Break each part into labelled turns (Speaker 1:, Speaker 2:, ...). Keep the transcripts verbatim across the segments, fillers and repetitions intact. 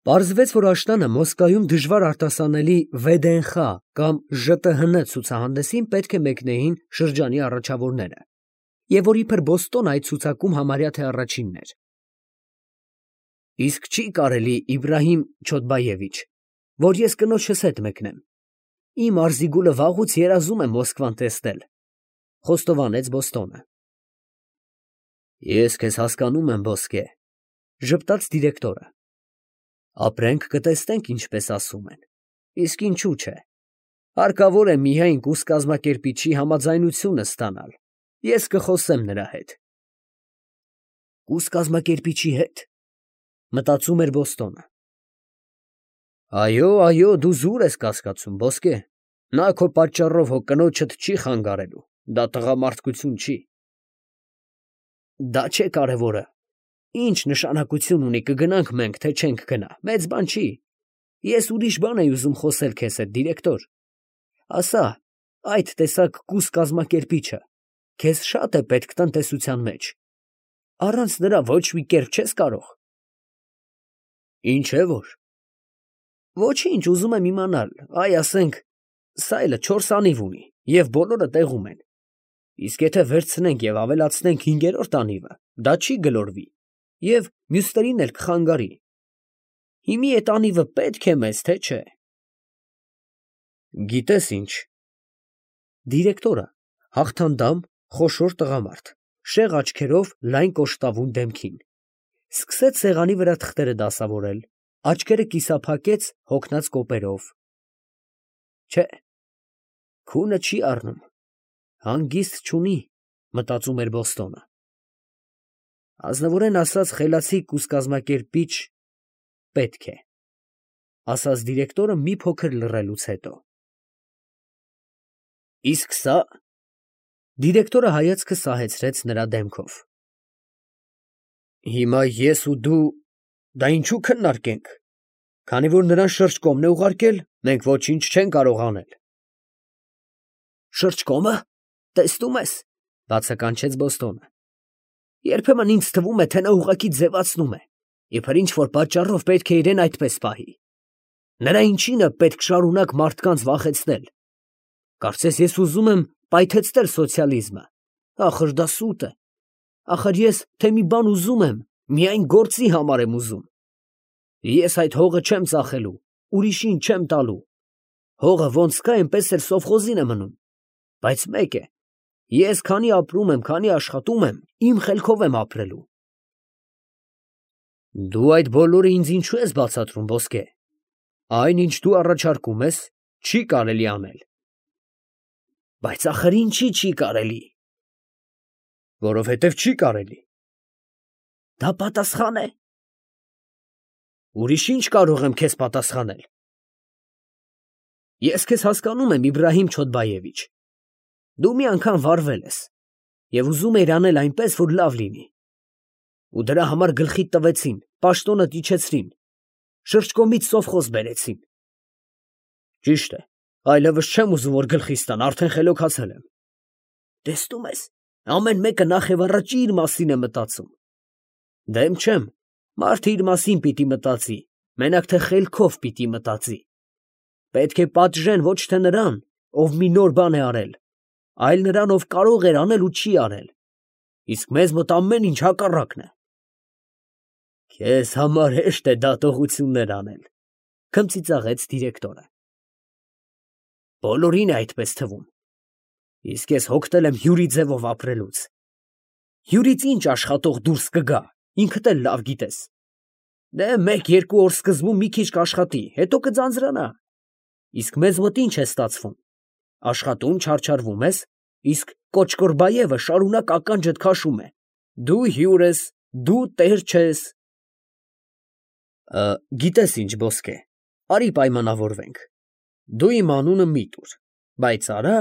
Speaker 1: Պարզվեց, որ աշնանը Մոսկվայում դժվար արտասանելի վեդենխ կամ ԺՏՀՆ ցուցահանդեսին պետք է մեկնեին շրջանի առաջավորները, և որ իբր Բոստոն այդ ցուցակում համարյա թե առաջինն էր։ Իսկ չի կարելի, Իբրահիմ Չոդբայևիչ, որ ես կնոջս հետ մեկնեմ, իմ Արզիգուլը վաղուց երազում է Մոսկվան տեսնել, խոստովանեց Բոստոնը։ Ես քեզ հասկանում եմ, ոսկե, ժպտաց դիրեկտորը։ Ապրենք կտեսնենք, ինչպես ասում են, իսկ ինչու չէ, հարկավոր է միայն կուրս կազմակերպիչի համաձայնությունը ստանալ, ես կխոսեմ նրա հետ։ Կուրս կազմակերպիչի հետ, մտածում էր Բոստոնը։ Այո, այո, դու զուր ես կասկածում, ոսկե, նա քո պատճառով հո կնոջդ չի խանգարելու, դա տղամարդկություն չի։ Դա չէ կարևորը, ինչ նշանակություն ունի կգնանք մենք, թե չենք գնա, մեծ բան չի, ես ուրիշ բան էի ուզում խոսել քեզ հետ, դիրեկտոր, ասա, այդ տեսակ կուրս կազմակերպիչը քեզ շատ է պետք տնտեսության մեջ, առանց նրա ոչ մի կերպ չես կարող։ Ինչ է որ։ Ոչինչ, ուզում եմ իմանալ, այ ասենք, սա էլ չորս անիվ ունի, և բոլորը տեղում են, իսկ եթե վերցնենք և ավելացնենք հինգերորդ անիվը, դա չի գլորվի, և մյուսներին էլ կխանգարի։ Հիմի էդ անիվը պետք է մեզ, թե չէ։ Գիտես ինչ։ Դիրեկտորը հաղթանդամ, խոշոր տղամարդ, շեղ աչքերով լայն կոշտավուն դեմքին, սկսեց սեղանի վրա թղթերը դասավորել, աչքերը կիսափակեց հոգնած կոպերով։ Չէ, քունը չի առնում, հանգիստ չունի, մտածում էր Բոստոնը։ Ազնվորեն ասած, խելացի կուրս կազմակերպիչ պետք է, ասաց դիրեկտորը մի փոքր լռելուց հետո։ Իսկ սա… Դիրեկտորը հայացքը սահեցրեց նրա դեմքով։ Հիմա ես ու դու դա ինչու քննարկենք, քանի որ նրան շրջկոմն է ուղարկել, մենք ոչինչ չենք կարող անել։ Շրջկոմը, տեսնում ես, բացականչեց Բոստոնը։ Երբեմն ինձ թվում է, թե նա ուղղակի ձևացնում է, իբր ինչ-որ պատճառով պետք է իրեն այդպես պահի։ Նրա ինչինը պետք շարունակ մարդկանց վախեցնել։ Կարծես ես ուզում եմ պայթեցնել սոցիալիզմը, ախր դա սուտ է։ Ախր ես թե մի բան ուզում եմ, միայն գործի համար եմ ուզում։ Ես այդ հողը չեմ ծախելու, ուրիշին չեմ տալու։ Հողը ոնց կա, այնպես էլ սովխոզին է մնում։ Բայց մեկ է, ես քանի ապրում եմ, քանի աշխատում եմ, իմ խելքով եմ ապրելու։ Դու այդ բոլորը ինձ ինչու ես բացատրում, ոսկե։ Այն, ինչ դու առաջարկում ես, չի կարելի անել։ Բայց ախր ինչի չի կարելի։ Որովհետև չի կարելի։ Դա պատասխան է։ Ուրիշ ինչ կարող եմ քեզ պատասխանել։ Ես քեզ հասկանում եմ, Իբրահիմ Չոդբայևիչ։ Դու մի անգամ վարվել ես և ուզում էիր անել այնպես, որ լավ լինի։ Ու դրա համար գլխիդ տվեցին, պաշտոնդ իջեցրին, շրջկոմից սովխոզ բերեցին։ Ճիշտ է, այլևս չեմ ուզում, որ գլխիս տան, արդեն խելոքացել եմ։ Տեսնում ես, ամեն մեկը նախևառաջ իր մասին է մտածում։ Դեմ չեմ, մարդը իր մասին պիտի մտածի, մենակ թե խելքով պիտի մտածի։ Պետք է պատժեն ոչ թե նրան, ով մի նոր բան է արել, այլ նրան, ով կարող էր անել ու չի արել։ Իսկ մեզ մոտ ամեն ինչ հակառակն է։ Քեզ համար հեշտ է դատողություններ անել, քմծիծաղեց դիրեկտորը։ Բոլորին է այդպես թվում։ Իսկ ես հոգնել եմ հյուրի ձևով ապրելուց։ Հյուրից ինչ աշխատող դուրս կգա, ինքդ էլ լավ գիտես։ Դե մեկ-երկու օր սկզբում մի քիչ կաշխատի, հետո կձանձրանա։ Իսկ մեզ մոտ ինչ է ստացվում։ Աշխատում չարչարվում ես, իսկ Կոչկորբայևը շարունակ ականջդ քաշում է. դու հյուր ես, դու տեր չես։ Գիտես ինչ, ոսկե, արի պայմանավորվենք։ Դու իմ անունը մի տուր, բայց արա,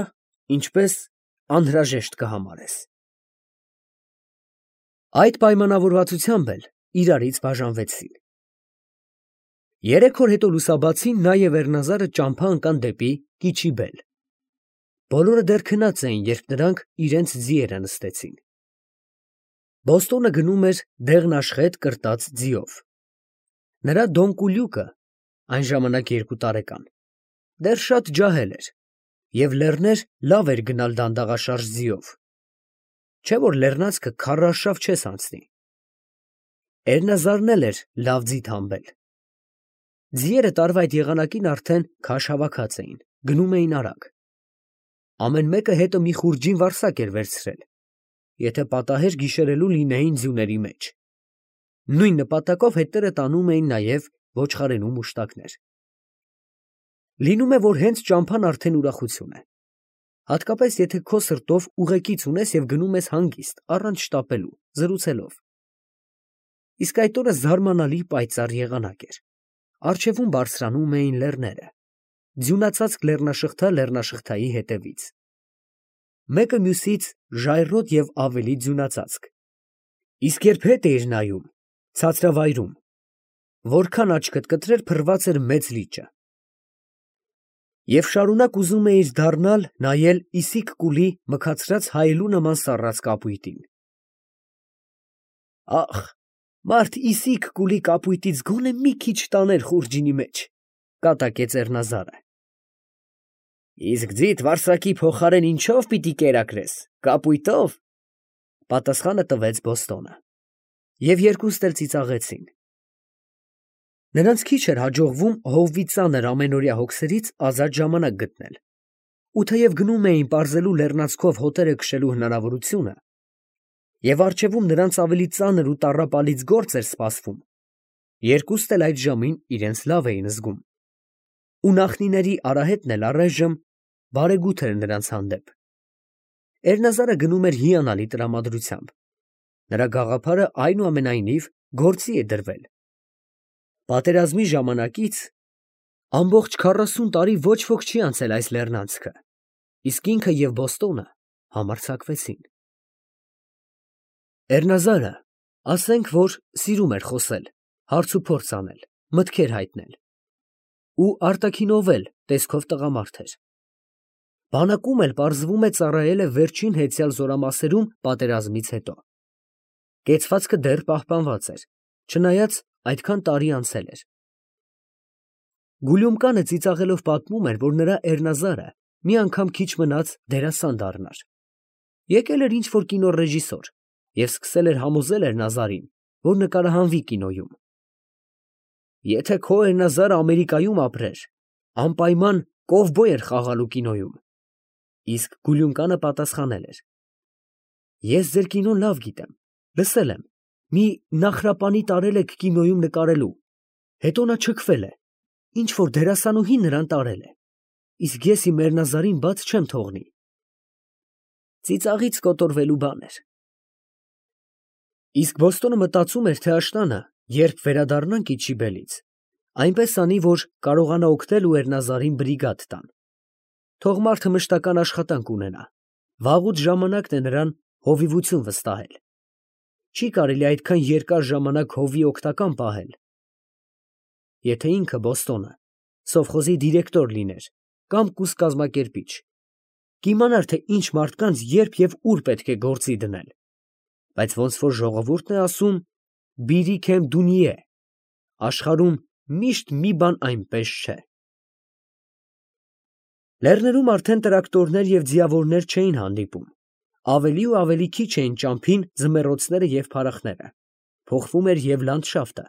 Speaker 1: ինչպես անհրաժեշտ կհամարես։ Այդ պայմանավորվածությամբ էլ իրարից բաժանվեցին։ Երեք օր հետո լուսաբացին նա և Էռնազարը ճամփա ընկան դեպի Կիչիբել։ Բոլորը դեռ քնած էին, երբ նրանք իրենց ձիերը նստեցին։ Բոստոնը գնում էր դեղնաշխետ կրտած ձիով։ Նրա դոնկուլյուկը, այն ժամանակ երկու տարեկան, դեռ շատ ջահել էր և լեռներ լավ էր գնալ դանդաղաշարժ ձիով, չէ՞ որ լեռնանցքը քարռաշավ չես անցնի։ Էրնազարն էլ էր լավ ձի թամբել։ Ձիերը տարվա այդ եղանակին արդեն քաշ հավաքած էին, գնում էին արագ։ Ամեն մեկը հետը մի խուրջին վարսակ էր վերցրել, եթե պատահեր գիշերելու լինեին ձյուների մեջ։ Նույն նպատակով հետները տանում էին նաև ոչխարենու մուշտակներ։ Լինում է, որ հենց ճամփան արդեն ուրախություն է, հատկապես եթե քո սրտով ուղեկից ունես և գնում ես հանգիստ, առանց շտապելու, զրուցելով։ Իսկ այդ օրը զարմանալի պայծառ եղանակ էր, առջևում բարձրանում էին լեռները, ձյունածածկ լեռնաշղթա լեռնաշղթայի հետևից, մեկը մյուսից ժայռոտ և ավելի ձյունածածկ, իսկ երբ հետ էիր նայում, ցածրավայրում, որքան աչքդ կտրեր, փռված էր մեծ լիճը։ Եվ շարունակ ուզում էիր դառնալ նայել Իսիկ կուլի մքացրած հայելու նման սառած կապույտին։ Ախ, մարդ Իսիկ կուլի կապույտից գոնե մի քիչ տաներ խուրջինի մեջ, կատակեց Էռնազարը։ Իսկ ձիդ վարսակի փոխարեն ինչո՞վ պիտի կերակրես, կապույտո՞վ, պատասխանը տվեց Բոստոնը, և երկուստ էլ ծիծաղեցին։ Նրանց քիչ էր հաջողվում հովվի ծանր ամենօրյա հոգսերից ազատ ժամանակ գտնել, ու թեև գնում էին պարզելու լեռնանցքով հոտերը քշելու հնարավորությունը, և առջևում նրանց ավելի ծանր ու տառապալից գործ էր սպասվում, երկուստ էլ այդ ժամին իրենց լավ էին զգում, ու նախնիների արահետն էլ առայժմ բարեգութ էր նրանց հանդեպ։ Էրնազարը գնում էր հիանալի տրամադրությամբ, նրա գաղափարը այնուամենայնիվ գործի է դրվել։ Պատերազմի ժամանակից ամբողջ քառասուն տարի ոչ ոք չի անցել այս լեռնանցքը, իսկ ինքը և Բոստոնը համարձակվեցին։ Էռնազարը, ասենք որ սիրում էր խոսել, հարցուփորձ անել, մտքեր հայտնել, ու արտաքինով էլ տեսքով տղամարդ էր։ Բանակում էլ պարզվում է ծառայել է վերջին հեծյալ զորամասերում պատերազմից հետո։ Կեցվածքը դեռ պահպանված էր, չնայած այդքան տարի անցել էր։ Գուլյումկանը ծիծաղելով պատմում էր, որ նրա Էռնազարը մի անգամ քիչ մնաց դերասան դառնար։ Եկել էր ինչ֊որ կինոռեժիսոր և սկսել էր համոզել Էռնազարին, որ նկարահանվի կինոյում։ Եթե քո Էռնազարը Ամերիկայում ապրեր, անպայման կովբոյ էր խաղալու կինոյում։ Իսկ Գուլյումկանը պատասխանել էր. Ես ձեր կինոն լավ գիտեմ, լսել եմ, մի Նախրապանի տարել եք կինոյում նկարելու, հետո նա չքվել է, ինչ֊որ դերասանուհին նրան տարել է, իսկ ես իմ Էռնազարին բաց չեմ թողնի։ Ծիծաղից կոտորվելու բան էր։ Իսկ Բոստոնը մտածում էր, թե աշնանը, երբ վերադառնան Կիչիբելից, այնպես անի, որ կարողանա օգնել ու Էռնազարին բրիգադ տան։ Թող մարդը մշտական աշխատանք ունենա, վաղուց ժամանակն է նրան հովիվություն վստահել։ Չի կարելի այդքան երկար ժամանակ հովի օգնական պահել։ Եթե ինքը Բոստոնը սովխոզի դիրեկտոր լիներ կամ կուսկազմակերպիչ, կիմանար, թե ինչ մարդկանց երբ և ուր պետք է գործի դնել, բայց ոնց որ ժողովուրդն է ասում, բիրիք եմ դունիե, աշխարհում միշտ մի բան այնպես չէ։ Լեռներում արդեն տրակտորներ և ձիավորներ չէին հանդիպում, ավելի ու ավելի քիչ էին ճամփին ձմեռոցները և փարախները, փոխվում էր և լանդշաֆտը։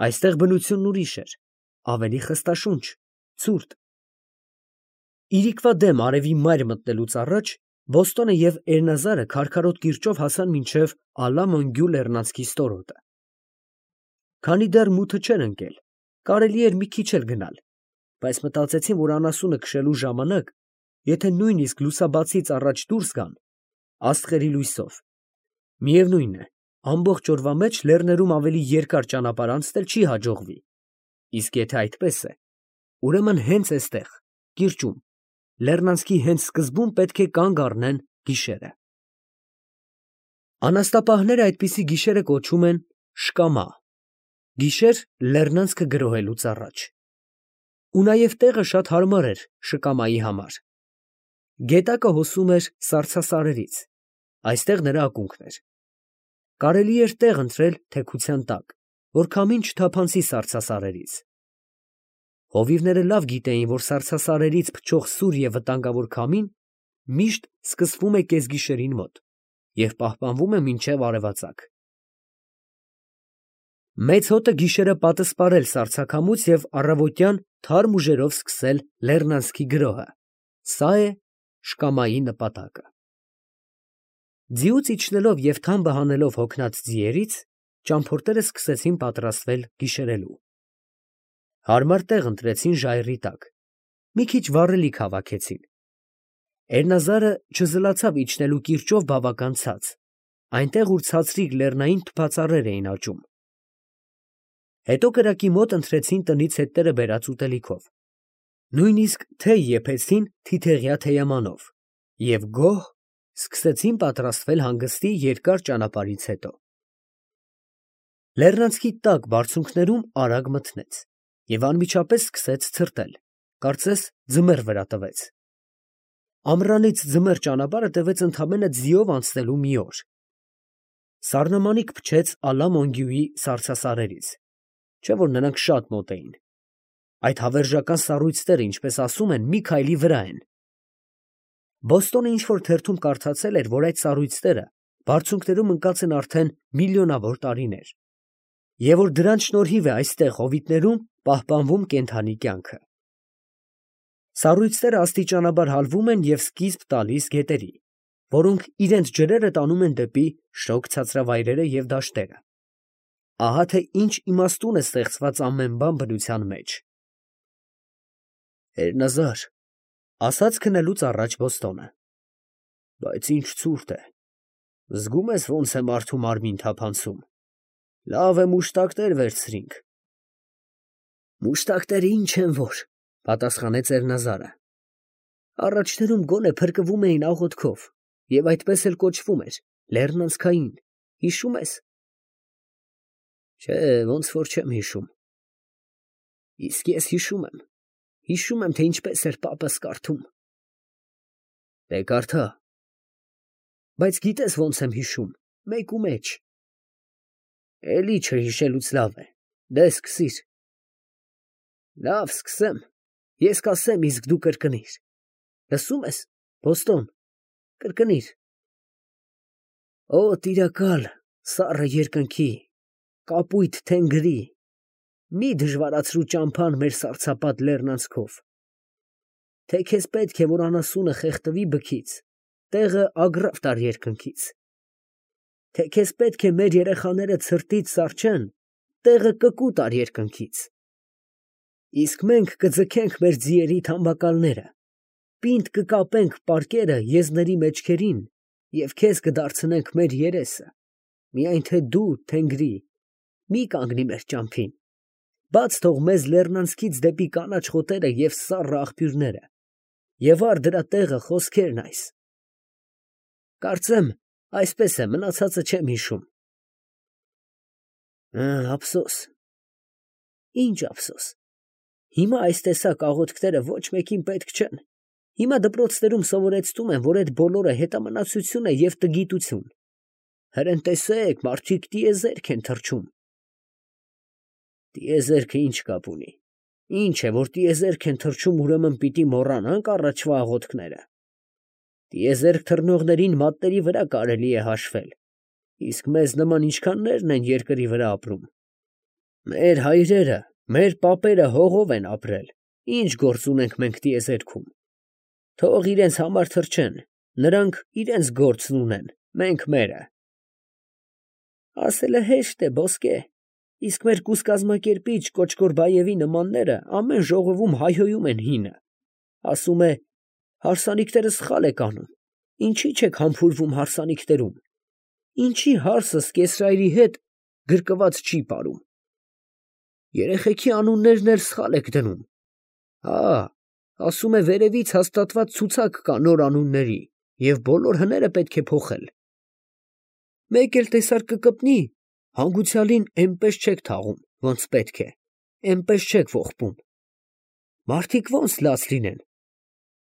Speaker 1: Այստեղ բնությունն ուրիշ էր, ավելի խստաշունչ, ցուրտ։ Իրիկվա դեմ արևի մայր մտնելուց առաջ Բոստոնը և Էռնազարը քարքարոտ կիրճով հասան մինչև Ալա֊Մոնգյու լեռնանցքի ստորոտը։ Քանի դեռ մութը չէր ընկել, կարելի էր մի քիչ էլ գնալ, բայց մտածեցին, որ անասունը քշելու ժամանակ, եթե նույնիսկ լուսաբացից առաջ դուրս գան, աստղերի լույսով, միևնույն է, ամբողջ օրվա մեջ լեռներում ավելի երկար ճանապարհ անցնել չի հաջողվի, իսկ եթե այդպես է, ուրեմն հենց էստեղ, կիրճում, լեռնանցքի հենց սկզբում պետք է կանգ առնեն գիշերը։ Անաստապահները այդպիսի գիշերը կոչում են շկամա, գիշեր լեռնանցքը գրոհելուց առաջ։ Ու նաև տեղը շատ հարմար էր շկամայի համար։ Գետակը հոսում էր սառցասարերից, այստեղ նրա ակունքն էր։ Կարելի էր տեղ ընտրել թեքության տակ, որ քամին չթափանցի սառցասարերից։ Հովիվները լավ գիտեին, որ սառցասարերից փչող սուր և վտանգավոր քամին միշտ սկսվում է կեսգիշերին մոտ և պահպանվում է մինչև արևածագ։ Մեծ հոտը գիշերը պատսպարել սառցաքամուց և առավոտյան թարմ ուժերով սկսել լեռնանցքի գրոհը, սա է շկամայի նպատակը։ Ձիուց իջնելով և թամբը հանելով հոգնած ձիերից, ճամփորդները սկսեցին պատրաստվել գիշերելու։ Հարմար տեղ ընտրեցին ժայռի տակ, մի քիչ վառելիք հավաքեցին։ Էրնազարը չզլացավ իջնելու կիրճով բավական ցած, այնտեղ, ուր ցածրիկ լեռնային թփածառեր էին աճում։ Հետո կրակի մոտ ընթրեցին տնից հետները բերած ուտելիքով, նույնիսկ թեյ եփեցին թիթեղյա թեյամանով և գոհ սկսեցին պատրաստվել հանգստի երկար ճանապարհից հետո։ Լեռնանցքի տաք բարձունքներում արագ մթնեց և անմիջապես սկսեց ցրտել, կարծես ձմեռ վրա տվեց։ Ամռանից ձմեռ ճանապարհը տևեց ընդամենը ձիով անցնելու մի օր։ Սառնամանիք փչեց Ալա֊Մոնգյուի սառցասարերից, չէ՞ որ նրանք շատ մոտ էին։ Այդ հավերժական սառույցները, ինչպես ասում են, մի քայլի վրա են։ Բոստոնը ինչ֊որ թերթում կարդացել էր, որ այդ սառույցները բարձունքներում ընկած են արդեն միլիոնավոր տարիներ, և որ դրանց շնորհիվ է այստեղ հովիտներում պահպանվում կենդանի կյանքը։ Սառույցները աստիճանաբար հալվում են և սկիզբ տալիս գետերի, որոնք իրենց ջրերը տանում են դեպի շոգ ցածրավայրերը և դաշտերը։ Ահա թե ինչ իմաստուն է ստեղծված ամեն բան բնության մեջ։ Էրնազար, ֊ ասաց քնելուց առաջ Բոստոնը, ֊ բայց ինչ ցուրտ է, զգում ես ոնց է մարդու մարմին թափանցում, լավ է մուշտակներ վերցրինք։ Մուշտակները ինչ են որ, ֊ պատասխանեց Էրնազարը, առաջներում գոնե փրկվում էին աղոթքով և այդպես էլ կոչվում էր, լեռնանցքային, հիշո՞ւմ ես։ Չէ, ոնց որ չեմ հիշում։ Իսկ ես հիշում եմ, հիշում եմ, թե ինչպես էր պապս կարդում։ Դե կարդա։ Բայց գիտես ոնց եմ հիշում, մեկումեջ։ Էլի չհիշելուց լավ է, դե սկսիր։ Լավ, սկսեմ, ես կասեմ, իսկ դու կրկնիր։ Լսո՞ւմ ես, Բոստոն, կրկնիր։ Օ տիրակալ, սառը երկնքի, կապույտ թենգրի, մի դժվարացրու ճամփան մեր սառցապատ լեռնանցքով, թե քեզ պետք է, որ անասունը խեղդվի բքից, տեղը ագռավ տար երկնքից, թե քեզ պետք է մեր երեխաները ցրտից սառչեն, տեղը կկու տար երկնքից, իսկ մենք կձգենք մեր ձիերի թամբակալները, պինդ կկապենք պարկերը եզների մեջքերին և քեզ կդարձնենք մեր երեսը, միայն թե դու, թենգրի, մի կանգնի մեր ճամփին, բաց թող մեզ լեռնանցքից դեպի կանաչ խոտերը և սառը աղբյուրները և առ դրա տեղը խոսքերն այս։ Կարծեմ, այսպես է, մնացածը չեմ հիշում։ Ափսոս։ Ինչ ափսոս։ Հիմա այս տեսակ աղոթքները ոչ մեկին պետք չեն։ Հիմա դպրոցներում սովորեցնում են, որ այդ բոլորը հետամնացություն է և տգիտություն։ Հրեն տեսեք, մարդիկ տիեզերք են թռչում։ Տիեզերքը ինչ կապ ունի։ Ինչ է, որ տիեզերք են թռչում, ուրեմն պիտի մոռանանք առաջվա աղոթքները։ Տիեզերք թռնողներին մատների վրա կարելի է հաշվել, իսկ մեզ նման ինչքաններն են երկրի վրա ապրում։ Մեր հայրերը, մեր պապերը հողով են ապրել, ինչ գործ ունենք մենք տիեզերքում։ Թող իրենց համար թռչեն, նրանք իրենց գործն ունեն, մենք մերը։ Ասելը հեշտ է, ոսկե, իսկ մեր կուսկազմակերպիչ Կոչկորբայևի նմանները ամեն ժողովում հայհոյում են հինը, ասում է. հարսանիքները սխալ եք անում, ինչի չեք համբուրվում հարսանիքներում, ինչի հարսս կեսրայրի հետ գրկված չի պարում, երեխեքի անուններն էլ սխալ եք դնում, հա, ասում է վերևից հաստատված ցուցակ կա նոր անունների և բոլոր հները պետք է փոխել։ Մեկ էլ տեսար կկպնի, հանգուցյալին էնպես չեք թաղում, ոնց պետք է, էնպես չեք ողբում։ Մարդիկ ոնց լաց լինեն,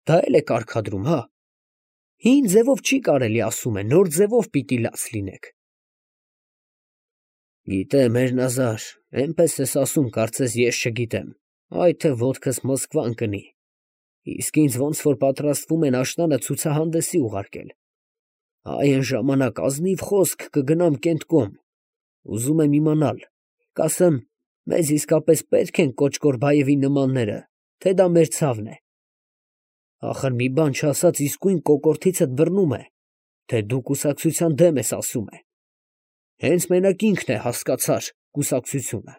Speaker 1: դա էլ է կարգադրում, հա։ Հին ձևով չի կարելի, ասում է, նոր ձևով պիտի լաց լինեք։ Գիտեմ, Էրնազար, էնպես ես ասում, կարծես ես չգիտեմ, այ թե ոտքս Մոսկվան կնի, իսկ ինձ ոնց որ պատրաստվում են աշնանը ցուցահանդեսի ուղարկել, այ այն ժամանակ ազնիվ խոսք կգնամ Կենտկոմ, ուզում եմ իմանալ, կասեմ, մեզ իսկապես պետք են Կոչկորբաևի նմանները, թե դա մեր ցավն է, ախր մի բան չասած իսկույն կոկորդիցդ բռնում է, թե դու կուսակցության դեմ ես ասում է, հենց մենակ ինքն է, հասկացար, կուսակցությունը,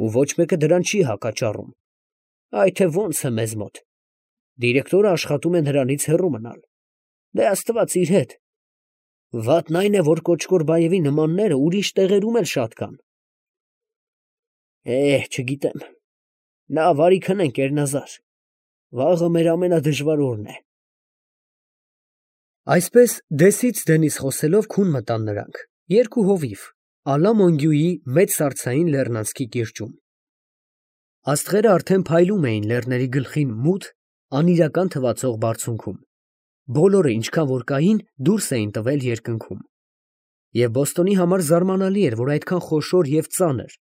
Speaker 1: ու ոչ մեկը դրան չի հակաճառում, այ թե ոնց է մեզ մոտ, դիրեկտորը աշխատում է նրանից հեռու մնալ, դե աստված իր հետ, վատն այն է, որ Կոչկորբաևի նմանները ուրիշ տեղերում էլ շատ կան, Է, չգիտեմ, լավ, արի քնենք, Էրնազար, վաղը մեր ամենադժվար օրն է։ Այսպես դեսից դենից խոսելով քուն մտան նրանք, երկու հովիվ, Ալա֊Մոնգյուի մեծ սառցային լեռնանցքի կիրճում։ Աստղերը արդեն փայլում էին լեռների գլխին մութ, անիրական թվացող բարձունքում, բոլորը ինչքան որ կային, դուրս էին տվել երկնքում։ Եվ Բոստոնի համար զարմանալի էր, որ այդքան խոշոր և ծանր,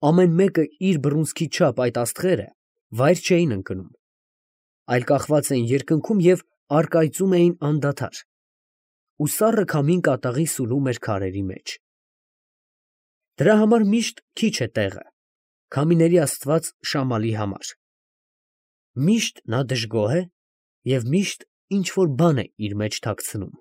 Speaker 1: ամեն մեկը իր բռունցքի չափ այդ աստղերը վայր չէին ընկնում, այլ կախված էին երկնքում և առկայծում էին անդադար, ու սառը քամին կատաղի սուլում էր քարերի մեջ։ Դրա համար միշտ քիչ է տեղը, քամիների աստված Շամալի համար, միշտ նա դժգոհ է և միշտ ինչ որ բան է իր մեջ թաքցնում։